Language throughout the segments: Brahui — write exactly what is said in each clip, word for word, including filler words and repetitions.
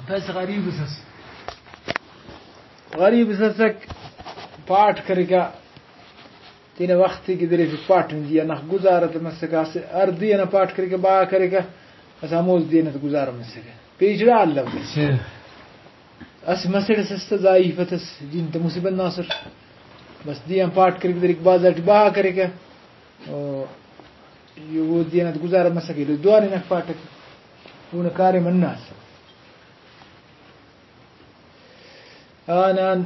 بس غریب اس ئس۔ غریب اس ئسک، پاٹ کریکہ، تینا وخت ءِ گدریفک، پاٹ ءِ جی آ نخ گزارہ تہ مسکہ، اسہ ہر دے ئنا پاٹ کریکہ، بہا کریکہ، بس ہموز دے ئنا تہ گزارہ مسکہ۔ پیشڑا الو۔ اسہ مسڑ اس ئس تہ ضعیف اس، جن تہ مسہ بندغ ئسر۔ بس دے آن پاٹ کریکہ، گدریک بازار ٹی بہا کریکہ۔ او، او دے ئنا تہ گزارہ مسکہ، ایلو دوارے نخ پاٹکہ۔ اونا کاریم ہندا ئس۔ آن آن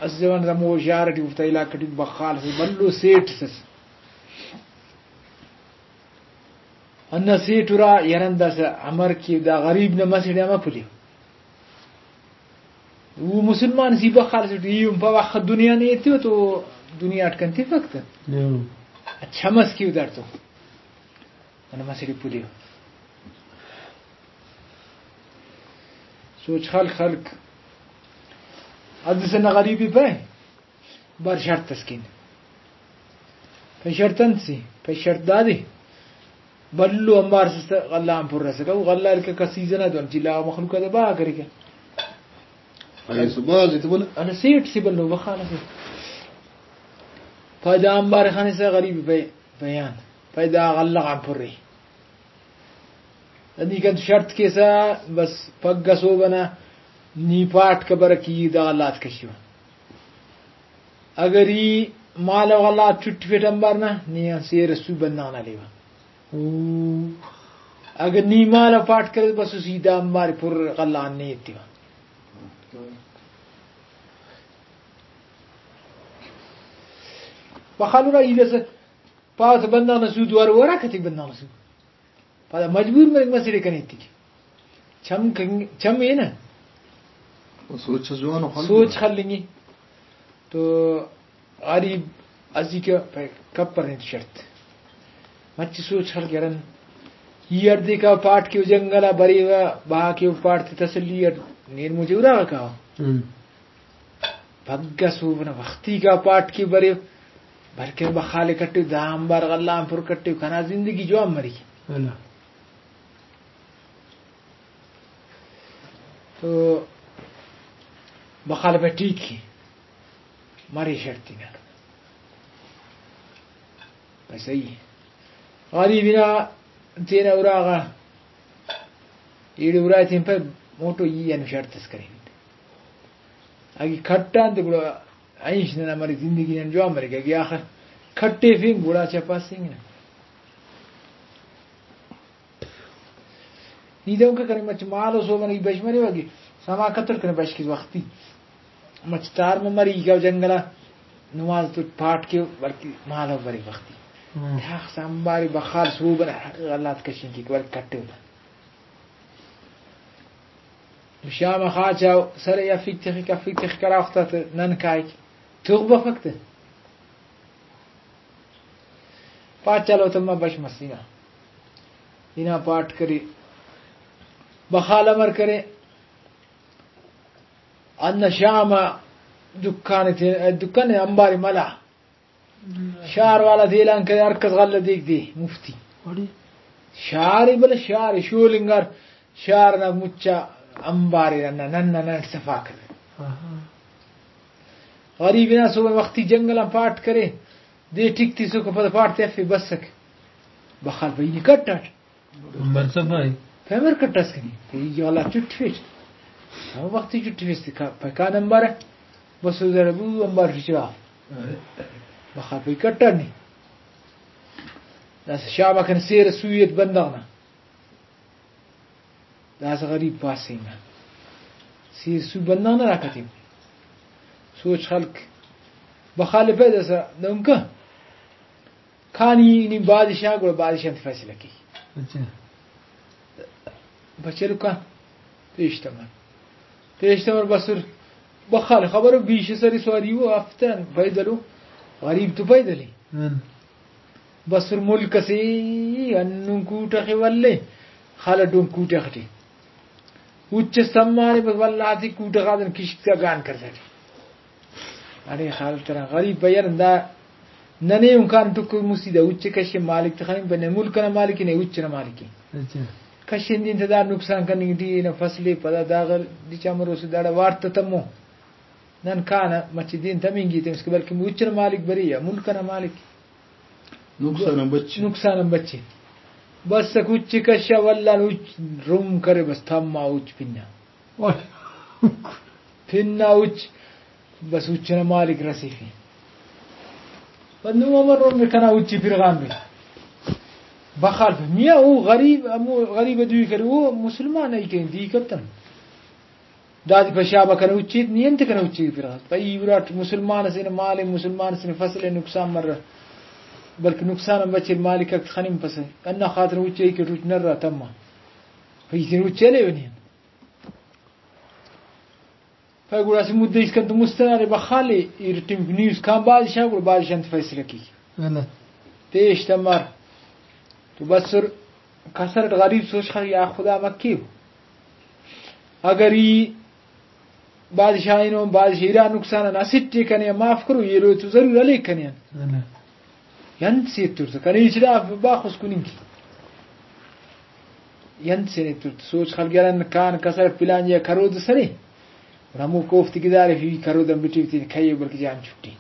اسہ زمانہ تا ہمو شار ٹی، اوفتا علاقہ ٹی بخال اسہ بھلو سیٹ اس ئس۔ ہندا سیٹ ارا یار، ہندا اسہ امر کہ دا غریب نا مسڑ آ مہ پلیو۔ او مسلمان سی بخال اسٹ، ای ہم پاوہ اخہ دنیا نے ایتیو تو دنیا اٹ کن تفک تہ۔ ہم۔ اچھا مس کیو داڑتو۔ ننا مسڑ ءِ پلیو۔ سوچ خلک، خلک۔ حد سے نہ غریبی پہ بر شرط اس کن۔ پہ شرط انت سی، پہ شرط دادے۔ بھلو امبار اس تہ غلہ آن پر اسکہ، او غلہ ہلککہ سیزن آ دن چلا مخلوق آتے بہا کریکہ۔ اگہ سو بھاز ایتہ بولہ۔ ہندا سیٹ سے بھلو بخال سے۔ پائے دا امبار خانسہ غریب پہ بیان، پائے دا غلہ غان پرے۔ نی کن تو شرط کیسہ، بس پگہ سہب ئنا نی پاٹ کہ برک ای دا غلہ آتے کشیوہ۔ اگر ای مالو غلہ آتے چٹفیٹ امبار نا، نی آن سیر سو بندغ نا لیوہ۔ او۔ اگر نی مالو پاٹ کرے بس ای دا امبار پر غلہ آن نے ایتیوہ۔ بخالورا ای داسہ پاوہ تہ بندغ نا سود وار، ورا کتیک بندغ نا سود۔ پدا مجبور مریک مسڑ ءِ کنے ایتک۔ چم کنگ، چم اے نا۔ سوچ اس جوانو خلک۔ سوچ خلنگے۔ تو غریب ازیکہ پہ کپر نے شرط۔ مچہ سوچ خلک ہرن۔ ای ہڑدے کا پاٹ کہ او جنگل آ بریوہ، بہا کہ او پاٹ تے تسلی اٹ نین مچہ اراغا کاوہ۔ ہم۔ پگہ سہب ئنا وختی کا پاٹ کہ بریو، بلکن بخالے کٹیو، دا آنبار غلہ آن پر کٹیو، کنا زندگی جوان مریک۔ ہلو۔ تو بخالے پائے ٹھیک ءِ، مرے شرط نا۔ پائے صحیح ءِ۔ غریب نا تینا اراغا ایڑے ارائے تین پائے موٹو ای اینو شرط اس کرین۔ اگہ کٹان تے گڑا اینش ننا مرے زندگی نن جوان مریک، اگہ آخر کٹیفنگ گڑا چہ پاسنگ نا۔ نی دہنکہ کنے مچہ مالو سہب ئنا ای بش مریوہ کہ سما کتر کنے بش کیس وختی۔ مچہ تار مہ مری ای کاو جنگل آ نماز تو پاٹ کیو بلکہ مالو برے وختی۔ ہم۔ داخس امبارے بخال سہب ئنا حق غلات کشنگ کیک بلکہ کٹیو تا۔ شام آ خاچاؤ سر ءِ افک تخک، افک تخک، ہرا وخت آ تہ نن کائک، تغ بفک تہ۔ پاچال و تما بش مس ہنا، ہنا پاٹ کرے، بخال امر کرے، ہندا شام آ دکان تے، دکان امبارے ملا۔ شار والا تے اعلان کرے، ہر کس غلہ دیک دے مفتی۔ اڑے؟ شار ءِ بلہ شار ءِ شول انگار شار نا مچا امبارے ننا، نن نن صفا کرے۔ آہا۔ غریب نا صبح وختی جنگل آن پاٹ کرے، دے ٹک تسوکا پدا پاٹ تے افے بسک۔ بخال بھئی نی کٹاٹ۔ عمر صفائی۔ پیمر کٹاس کنی، تے ای جوالا چٹفیٹ۔ ہم وختی چٹفیس تے کا-، پکان امبارہ۔ بس او ذرا بو امبار فچرا۔ بخا پی کٹانی۔ داسہ شابا کن سیر سویت بندغ نا۔ داسہ غریب پاسے نا۔ سیر سو بندغ نا راکتیم۔ سوچ خلک۔ بخالفہ داسہ دہنکہ۔ کانی نی بادشاہ، گڑا بادشاہ انت فیصلہ کیک۔ اچھا۔ بچلو کان پیش تمر۔ پیش تمر بسر بخال خبر بیش سری سواری و افتن پیدلو، غریب تو پیدلی۔ ہن۔ بسر ملک سے انون کوٹہ خے ولے، خالہ ڈون کوٹہ خٹی۔ اچ سمانے بس ولدا تے کوٹہ غادن کشک تا گان کرسٹی۔ اڑے خال ترا غریب بیان دا ننے ہم کان ٹکر مسی دا اچ کشے مالک تخنن بنے ملک نا مالک نے اچ نا مالک۔ اچھا۔ کشندین تہ دا نقصان کننگ ٹی نا فصل ءِ پدا داغہ ڈچا مروسہ داڑا وارت تہ تمو۔ نن کانہ مچہ دین تمنگی تمس کہ بلکہ اچ ئنا مالک بریہ، ملک ئنا مالک۔ نقصان آن بچ۔ نقصان آن بچ۔ بس اک اچ کشا ولدان اچ رم کرے، بس تما اچ پنا۔ پنا اچ، بس اچ ئنا مالک رسیفے۔ پد نو امر رم کنا اچ پرغان بے۔ بخال میاں او غریب، ہمو غریب دوئی کرے، او مسلمان ای کین دی کتن۔ دادے پشابہ کنے اچیت، نی انت کنے اچی پرغاس؟ پئی اراٹ مسلمان اسے نا مال ءِ، مسلمان اسے نا فصل ءِ نقصان مرہ، بلکہ نقصان آن بچر، مالک آک خننگ پسہ۔ ہندا خاطر اچ ای کہ اچ نرا تما۔ پئی تینا اچ ہلیو نی انت۔ پائے گڑا اسہ مدہ اسکان تو مست ئنا ارے بخالے، ارٹمیکو نیوز کان بادشاہ، گڑا بادشاہ انت فیصلہ کیک؟ پیش تمار تو بسر۔ کسر اٹ غریب سوچ خلک، یا خدا مکیو، اگر ای بادشاہ اینو، بادشاہ ارا نقصان آن اسٹ ءِ کنے آن معاف کرو، ایلو تو ضرور ہلیک کنے آن۔ انت سے ایتر تہ کنے ہچ ڈا باخوس کننگ کے۔ انت سے نے ایتر تہ سوچ خلک، یار کان کسر پلان یا کرود سرے، اور ہمو کوفتے گدارے فی کرود آن بٹیو تین کھیو بلکہ جان چھٹی۔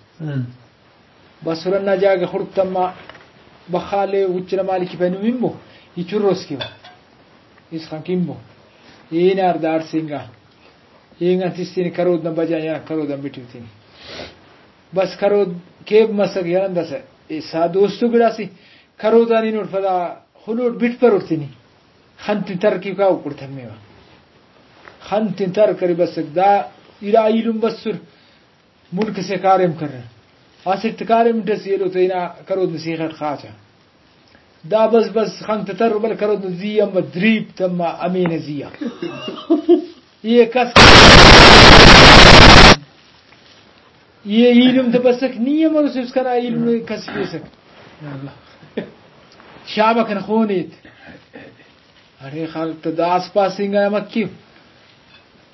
بس ہرنا جاگہ خڑک تما بخالے اچ ئنا مالک پینو ممبو، ای چروس کیو۔ اس خان کمبو۔ اینار داڑ سنگا۔ اینگان تس تین کرود نا بجا یا کرود آن بٹیو تین۔ بس کرود کیب مسک یا انداسہ۔ اے سا دوستو گڑاسی کرودان اینوٹ پدا خلوٹ بٹ پروٹ تینی۔ خن تین تر کیو کاو کڑ تمیوا۔ خن تین تر کرے بسک۔ دا ارا ایلم بسر۔ ملک سے کاریم کرے۔ اسٹ کاریم ڈس ایلو تینا کرود نا سیخ اٹ خاچا۔ دا بس بس خن تہ تر بل کرود نا زی امر دریپ تما امین زی آ۔ یہ کس یہ ایلم تہ بسک نی امر اسے اس کرا ایلم کس پیسک۔ شابہ کن خون ایت۔ ارے خلک تہ داس پاسنگ آ مکیو۔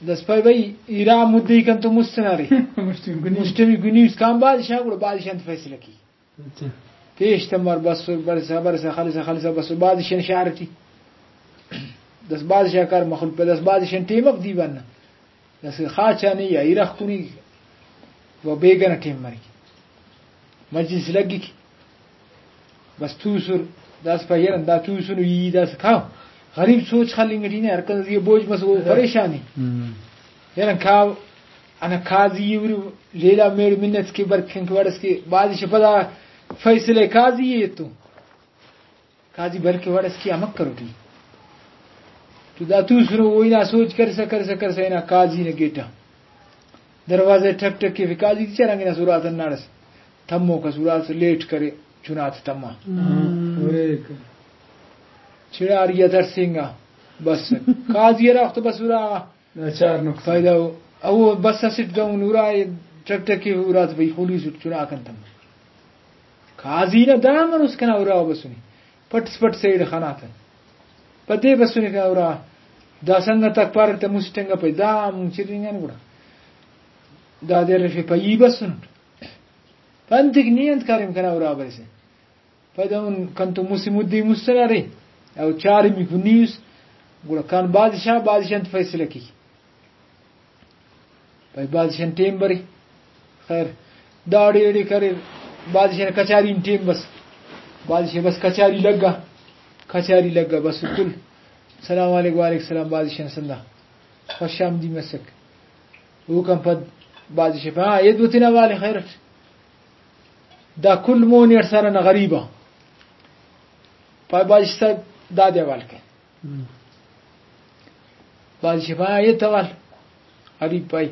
دس پائے بھئی، ارا مدعی کن تو مست نارے۔ مسٹمی گنی۔ مسٹمی گنی اس کان بادشاہ گڑا بادشاہ انت فیصلہ کی۔ اچھا۔ پیش تمار بسر، برسا، برسا، خلسا، خلسا، بسر، بادشاہ شہر ٹی۔ دس بادشاہ کار مخلوق پہ دس بادشاہ ٹیم اف دیوان نا۔ داسہ خاچانے یا ارغ کننگ و بیگہ نا ٹائم مریک، مجلس لگک، بس توسر۔ داسہ پائے یار دا توسنو ای داسہ کاو۔ غریب سوچ خلنگ ٹی نے، ہر کس زی بوجھ مس او پریشان ءِ۔ ہم۔ یار کاو انا قاضی ءِ، لیلا میڑ منت کے برکن کے وڑس کے بادشاہ پدا فیصلہ قاضی ءِ ایتو۔ قاضی بلکہ وڑ اس کہ امک کروٹی۔ تو دا توسنو، او ہنا سوچ کرسا کرسا کرسا ہنا قاضی نا گیٹا دروازہ ٹک ٹک کے۔ قاضی تے چرانگ ہنا سرات ہناڑس تموک اس، ارات لیٹ کرے، چنات تما۔ ہم۔ چڑاری آ درسینگا۔ بس قاضی ہرا وخت بس ارا ناچار نقصان۔ فائدہ او، او بس اسٹ دہن ارا ٹک ٹک کے ارات بھئی خلیس اٹ چنا کن تما۔ قاضی نا دا مروس کنا ارا بسنے۔ پٹس پٹ سیڈ خناتہ۔ پدے بسنے کنا ارا۔ دا سنگت آک پاریر تہ مسٹ انگا پائے دا ہم چرینگان گڑا۔ دادے ارفے پائے ای بسنٹ۔ پانتک نی انت کاریم کنا ارا بریسہ۔ پائے دہن کنتو مسہ مدعی مست نارے۔ او چارمیکو نی اس۔ گڑا کان بادشاہ، بادشاہ انت فیصلہ کی۔ بھئی بادشاہ نا ٹیم برے۔ خیر، داڑے ایڑے کریر، بادشاہ نا کچاری نا ٹیم بس۔ بادشاہ بس کچاری لگا، کچاری لگا بس کل۔ سلام علیکم، وعلیکم السلام، بادشاہ نا سندا خوش آمدی مسک۔ اوکان پد بادشاہ پا، ہاں، ایدو تینا والے خیر اٹ۔ دا کل مون اٹ سارا نا غریب آ۔ پائے بادشاہ صاحب دادے حوال کے۔ ہم۔ بادشاہ پائے، اے توال۔ غریب پائے۔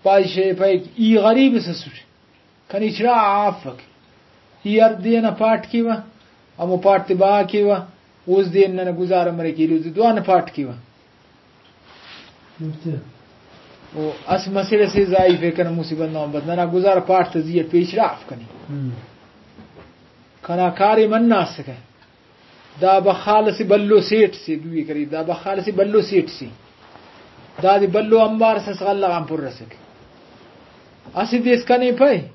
بادشاہ پائے، ای غریب اس اسٹ۔ کنے چڑا آفک۔ ای ہر دے ئنا پاٹ کیوہ، ہمو پاٹ تے بہا کیوہ، اوز دے ننا گزارہ مریک، ایلو دے دعا نا پاٹ کیوہ۔ اچھا۔ او اس مسڑ اسے ضعیف ءِ کنا مصیبت نا بس ننا گزارہ پاٹ تے زی اٹ پیش راف کنے۔ ہم۔ کنا کاریم ہندا اسکہ۔ دا بخال اسہ بھلو سیٹ سے دوئی کرے، دا بخال اسہ بھلو سیٹ سے۔ دادے بھلو امبار اس، اس غلہ غان پر اسک۔ اسہ دے اس کنے پائے،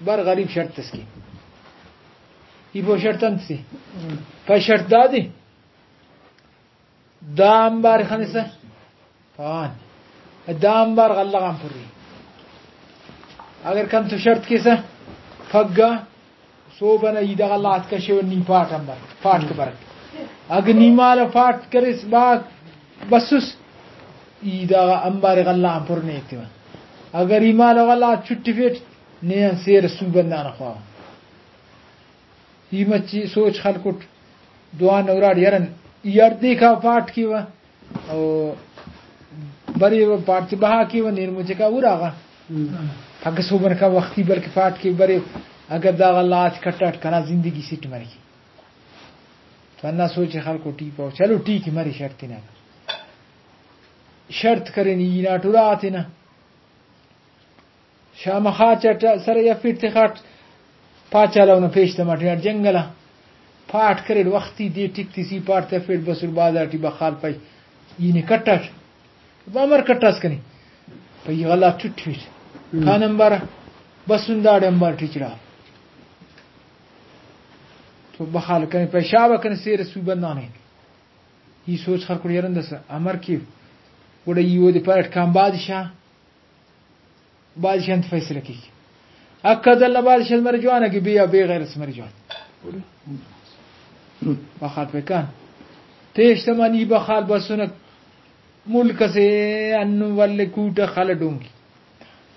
بر غریب شرط اس کے۔ ای پو شرط انت سے؟ پائے شرط دادے۔ دا آنبار خنسہ پان، دا آنبار غلہ غان پرے۔ اگر کنتو شرط کیسہ، پھگہ صوب ئنا ای دا غلہ غاتے کشیوہ، نی پاٹ آنبار، پاٹ کہ برک۔ اگہ نی مالو پاٹ کریس، با بسس، ای دا آنبار غلہ غان پر نے ایتیوہ۔ اگر ای مالو غلہ غاتے چٹفیٹ، نے آن سیر سو بندغ نا خواوہ۔ ای مچے سوچ خلکٹ، دعا نا اراٹ یرن ای ہڑدیکا پاٹ کیوہ، او بریوہ پاٹ تے بہا کیوہ، نین مچکا اراغا۔ ہم۔ پھگہ صوبن کا وختی بلکہ پاٹ کے بریو، اگر دا غلہ غاتے کٹاٹ کنا زندگی سیٹ مریک۔ تو ہندا سوچ خلکٹ ای پاو، چلو ٹھیک مرے، شرط تینا شرط کرین ای ناٹ ارا تینا۔ شام خاچٹ سر یفیٹ تخاٹ، پاچال اونا پیش تماٹ ہناٹ جنگل آ پاٹ کریٹ، وختی دے ٹک تسی پاٹ تفیٹ، بسر بازار ٹی بخال پائی ای نے کٹاٹ، بامر کٹاس کنے پائی غلہ چٹفیٹ۔ ہم۔ کان امبارہ بسن داڑے امبار ٹی چڑا۔ تو بخال کنے پائی شابہ کنے سیر سو بندانے۔ ای سوچ خلکٹ یرندسہ امر کیو؟ گڑا ای اودے پاریٹ کان بادشاہ، بادشاہ انت فیصلہ کیک؟ حق عدل نا بادشاہ مرے جوان، اگہ بے آ بے غیرت مرے جوان۔ بخال پہ کان پیش تما نی بخال بسنک ملک اسے ہندن ولے کوٹہ خلہ ڈونگی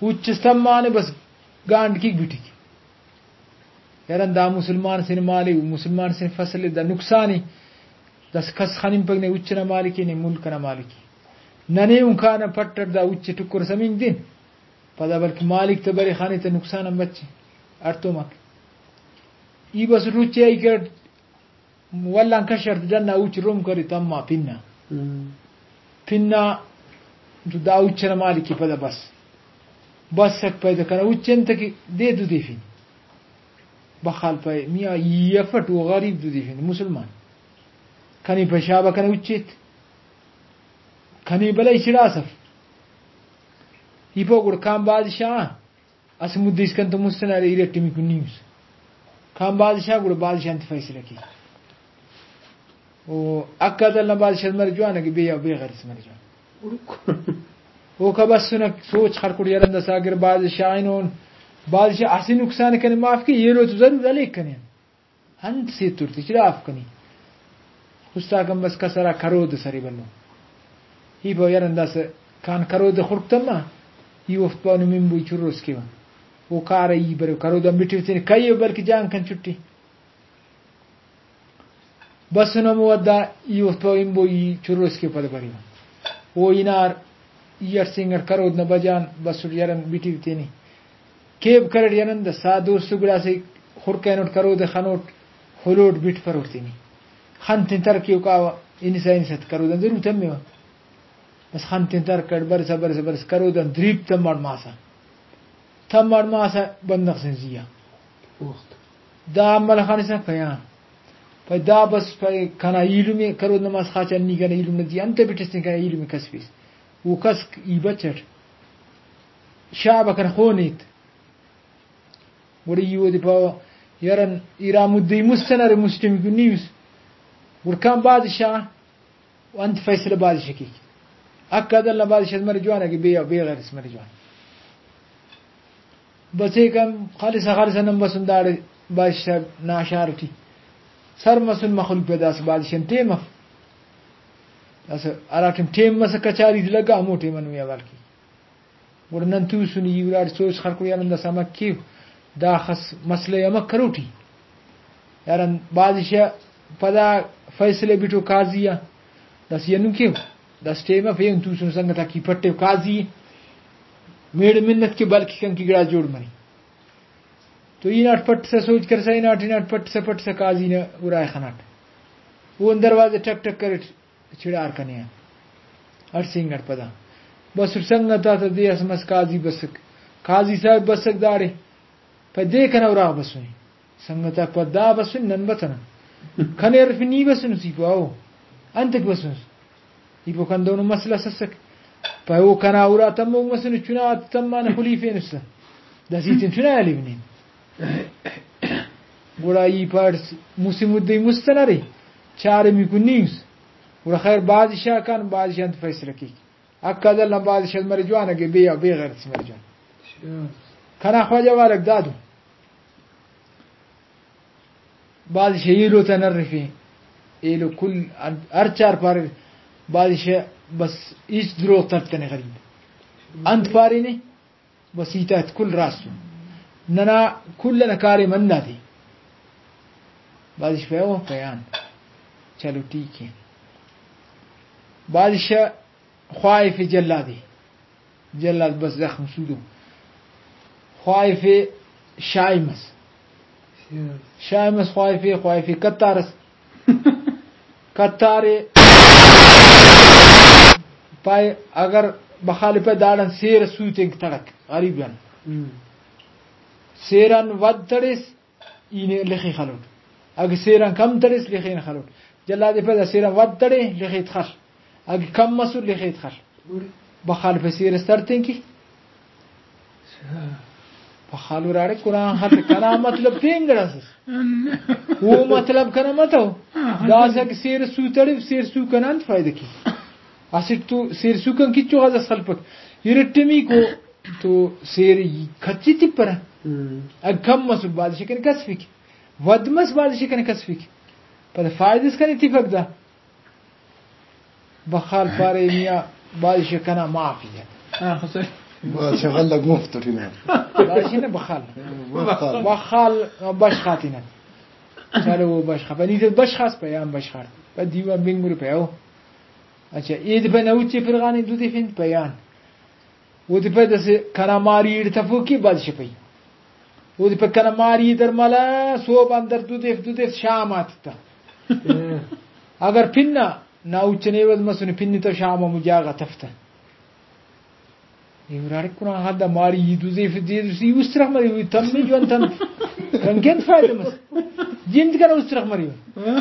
اچ اس تمانے بس گانڈ کیک بٹک۔ یرن دا مسلمان سے نا مال ءِ، مسلمان سے نا فصل ءِ، دا نقصان ءِ۔ داسہ کس خننپک نے اچ ئنا مالک ءِ، نے ملک ئنا مالک ءِ۔ ننے اُن کانہ پٹ ئٹ دا اچ ءِ ٹکر سمینگ دین۔ پدا بلکہ مالک تہ برے خانے تہ نقصان ہم بچے۔ ہڑتوماک۔ ای بس اٹ اچ ءِ، ای کٹ ولان کشر تہ ڈنا اچ رم کرے تما پنا۔ ہم۔ پنا تو دا اچ ئنا مالک ءِ پدا بس۔ بس اٹ پیدا کنا اچ انت کہ دے دو دیفین۔ بخال پائے، میاں ای افٹ، او غریب دودی فن مسلمان۔ کنے پائے شابہ کنے اچیت۔ کنے بلہ ای چڑاس اف۔ ای پاو گڑا کان بادشاہ اسہ مدے اسکان تو مستن ارے، ارٹ میکو نیوس۔ کان بادشاہ گڑا بادشاہ انت فیصلہ کے؟ او حق عدل نا بادشاہ مرے جوان، اگہ بے آ بے غیرت مرے جوان۔ اوکا بسنک سوچ خلکٹ یرندسا، اگر بادشاہ اینون، بادشاہ اسہ نقصان کنے معاف کے، ایلو تو ضرور ہلیک کنے۔ انت سے تر تے چڑاف کنے۔ استاکان بس کسرا کرود سرے بنو۔ ای پاو یرنداسہ کان کرود خڑک تما، ای اوفت پاو نی ممبوئی چروس کیوہ۔ او کارہ ای برو کرودان بٹیو تینے کئیو بلکہ جان کن چھٹی۔ بسن ہمو ودا ای اوفت پاو ہمبو ای چروس کے پد بریوہ۔ او ہنار ای ہڑسینگٹ کرود نا بجان بسٹ یرن بٹیو تینے۔ کیب کریٹ یرن دا سا دوست گڑاسے خڑک اینٹ کرود خنوٹ ہلوٹ بٹ پروٹ تینے۔ خن تین تر کیو کاوہ انسا انسا کرودان ضرور تمیوہ۔ بس خن تین تر کڑ برسا برسا برسا کرودان دریپ تماڑ ماسا۔ تماڑ ماسا بندغ سے زیہا۔ اوفت۔ دا عمل خانسا پیا۔ پائے دا بس پائے کنا ایلم ءِ، کرود نماز خاچان نی کنا ایلم نا زیہا انت بٹس تین کنا ایلم ءِ کسفیس۔ او کس ای بچٹ۔ شابہ کن خون ایت۔ گڑا ای اودے پاوہ یرن ارا مدعی مستن ارے مسٹمیکو نیوس۔ گڑا کان بادشاہ و انت فیصلہ بادشاہ کیک؟ حق عدل نا بادشاہ مرے جوان، اگہ بے آ بے غیرت مرے جوان۔ بس ایک ہم خالصا خالصا نن بسن داڑے بادشاہ نا اشار ٹی سر مسن، مخلوق پہ داسہ بادشاہ ٹیم اف۔ داسہ ہرا ٹائم ٹیم مسہ کچاری تے لگا، ہمو ٹائم آن نمے حوال کیک۔ گڑا نن توسن ای اراٹ سوچ خلکو یار اندا سمک کیو، داخس مسئلہ ءِ امک کروٹی۔ یار ان بادشاہ پدا فیصلہ بٹو قاضی آ، داسہ ای ہندن کیو، داسہ ٹیم اف ایہن توسن سنگت آک ای پٹیو قاضی ءِ، میڑ منت کے بلکہ کنکہ گڑاس جوڑ مرے۔ تو ای ہناٹ پٹسہ سوچ کرسا، ہناٹ ہناٹ پٹسہ پٹسہ قاضی نا ارائے خناٹ۔ او دروازہ ٹک ٹک کریٹ۔ چڑار کنے آ۔ ہڑسینگٹ پدا۔ بس سنگت آتا دے اس مس قاضی بسک۔ قاضی صاحب بسک داڑے۔ پہ دے کنا اراغ بسنے۔ سنگت آک پہ دا بسن نن بتنن۔ کنے ارفن نی بسنس ای پاو۔ انتک بسنس۔ ای پاو کن دونو مسئلہ سسک۔ پہ او کنا ارا تموک مسنے چنا تمانہ خلیفینس تہ۔ دا زیتن چنا الیونین۔ گڑا ای پاڑس مسہ مدعی مستن ارے۔ چارمیکو نیوس۔ گڑا خیر بادشاہ کن، بادشاہ انت فیصلہ کیک؟ حق عدل نا بادشاہ مرے جوان، اگہ بے، بے غیرت مرے جوان۔ کنا خواجہ والک دادو۔ بادشاہ ایلو تا نرفے، ایلو کل ہر چار پارے۔ بادشاہ بس ہچ دروغ ترتنے غریب۔ انت پارینے؟ بس ہیت آ کل راست ء۔ ننا کل ئنا کاریم ہندادے۔ بادشاہ پہ او پیان۔ چلو ٹھیک ہے۔ بادشاہ خواہفے جلادے۔ جلاد بس زخم سودو۔ خواہفے شاہی مس۔ شاہی مس خواہفے، خواہفے قطار اس۔ قطارے پائے اگر بخالفہ داڑان سیر سوتنگ تڑک غریب آن۔ سیران ود تڑیس، ای نے لخے خلوٹ۔ اگہ سیران کم تڑیس، لخے نے خلوٹ۔ جلادے پدا سیران ود تڑے، لخیت خل۔ اگہ کم مسر، لخیت خل۔ بخال پہ سیر اس تڑتین کی۔ بخال اراڑے قرآن خط کنا مطلب پین گڑاس اس۔ او مطلب کنا متو۔ داسہ اگہ سیر سو تڑے، سیر سو کنا انت فائدہ کی؟ اسٹ تو سیر سو کن کچو غزہ سلپک۔ ارٹمیکو تو سیر کچی تپرہ۔ اگہ کم مسر بادشاہ کنے کسفک۔ ود مس بادشاہ کنے کسفک، پدا فائدہ اس کنے تفک دا۔ بخال پارے، میاں بادشاہ کنا معافی ء۔ ہاں، صحیح۔ بادشاہ غلہ مفت ٹی نا۔ بادشاہ نا بخال۔ بخال۔ بخال بشخ آتینا۔ چلو وہ بشخ آ۔ پہ نی تے بشخ آس پہ آن بشخ آ۔ پہ دیوان بنگرے پہ او۔ اچھا، اید پہ نہ اچے پرغانے دو دے فنت پہ آن۔ اودے پد اسہ کنا ماری ایڑ تفوکی بادشاہ پئی۔ اودے پد کنا ماری در ملا سوب آن در دودیف دودیف شام آتتہ۔ اگر پن نا، نا اچن ایوز مسنے پن تو شام آ مجاغا تفتہ۔ اے ہراڑے قرآن حال دا ماری ای دودیف دے سی استرخ مری ہوئی تم میں جوان تن۔ کنگن فائدہ مس۔ جند کنا استرخ مری ہوئی۔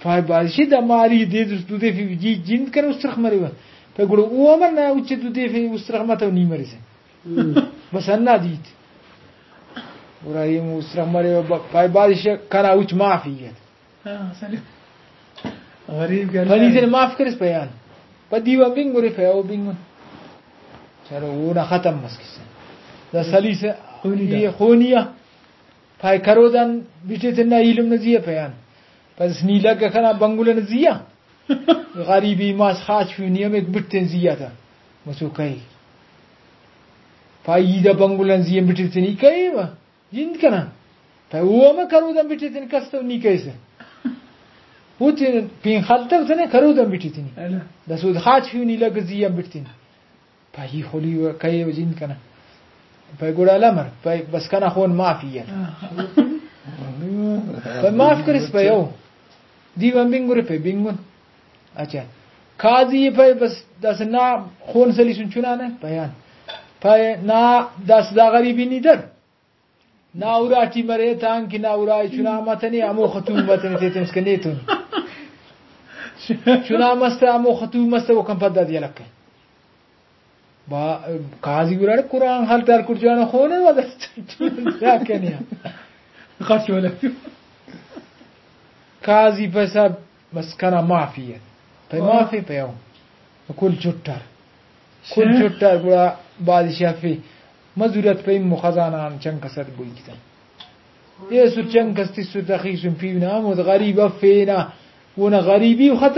پائے بادشاہ دا ماری دے دس دودیفی جی جند کنا استرخ مریوہ۔ پائے گڑا او امر نا اچ دودیفی استرخ متو نی مریسہ۔ بس ہندا دیت۔ گڑا ایم استرخ مریوہ، ب-، پائے بادشاہ کنا اچ معافی ایت۔ ہاں، سلیم۔ غریب کہ اللہ پنی تینے معاف کرس پہ آن۔ پہ دیوان بنگرے پہ او بنگن۔ چلو اونا ختم مس کسہ۔ دا سلیسہ خونی دا۔ یہ خونی آ۔ پائے کرودان بٹے تینا ایلم نا زی آ پیان۔ پس نی لگہ کنا بنگلہ نا زی آ۔ غریبی ماس خاچفیو نی ہمیک بٹ تین زی آ تا۔ مسو کہے۔ پائے ای دا بنگلہ نا زی آ بٹے تین ای کہے و جند کنا۔ پائے او ہمہ کرودان بٹے تین کس تو نی کہیسہ۔ او تین پین خلتو تنے کرودان بٹے تین۔ داسود خاچفیو نی لگہ زی آ بٹ تین۔ پائے ای خلی و کہے و جند کنا۔ پائے گڑا لمر، پائے بس کنا خون معافی ء۔ پائے معاف کرس پائے او۔ دیوان بنگرے پائے بنگن۔ اچھا۔ قاضی پائے بس داسہ نا خون سلیسن چنا نے پائے آن۔ پائے نا داسہ دا غریبی نی در۔ نا اراٹی مرے تانکہ نا ارائے چنا متنے، ہمو ختو متنے تیتنس کہ نیتون۔ چنا مست ہمو ختو مست اوکان پدا دی الکہ۔ با-، قاضی گڑا قرآن حال تار کر جانا خونے ودا کنیا۔ خاص ولا۔ قاضی پیسہ بس کنا معافی ہے۔ پہ معافی پہ او۔ کل چھٹار۔ کل چھٹار گڑا بادشاہ فی مزورت پہ امو خزانہ آن چنک اسد بوئی کتن۔ ایسر چنک اس تسر تخیسن پیونا ہمود غریب افینا۔ اونا غریبی ختم۔